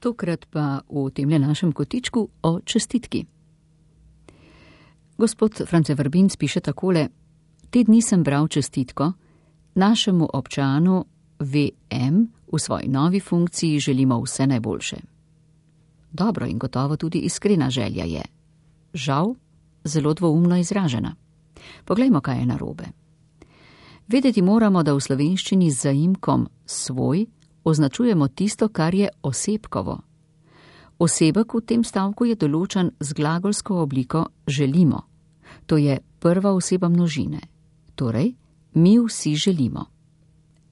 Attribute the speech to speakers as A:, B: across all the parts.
A: Tokrat pa v temle našem kotičku o čestitki. Gospod France Vrbinc piše takole: te dni sem bral čestitko, našemu občanu VM v svoji novi funkciji želimo vse najboljše. Dobro in gotovo tudi iskrena želja je. Žal, zelo dvoumno izražena. Poglejmo, kaj je narobe. Vedeti moramo, da v slovenščini z zaimkom svoj označujemo tisto, kar je osebkovo. Osebek v tem stavku je določen z glagolsko obliko želimo. To je prva oseba množine. Torej, mi vsi želimo.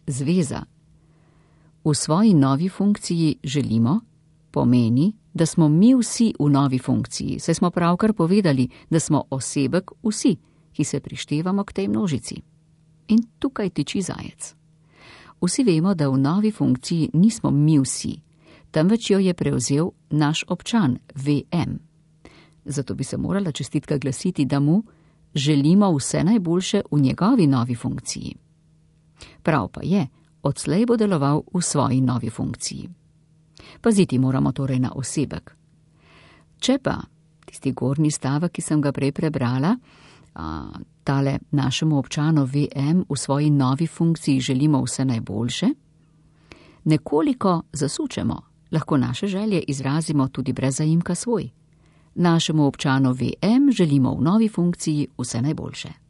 A: Zveza. V svoji novi funkciji želimo pomeni, da smo mi vsi v novi funkciji, saj smo pravkar povedali, da smo osebek vsi, ki se prištevamo k tej množici. In tukaj tiči zajec. Vsi vemo, da v novi funkciji nismo mi vsi, temveč jo je prevzel naš občan VM. Zato bi se morala čestitka glasiti, da mu želimo vse najboljše v njegovi novi funkciji. Prav pa je, odslej bo deloval v svoji novi funkciji. Paziti moramo torej na osebek. Če pa tisti gornji stavek, ki sem ga prej prebrala, tale našemu občanu VM v svoji novi funkciji želimo vse najboljše, nekoliko zasučemo, lahko naše želje izrazimo tudi brez zaimka svoj. Našemu občanu VM želimo v novi funkciji vse najboljše.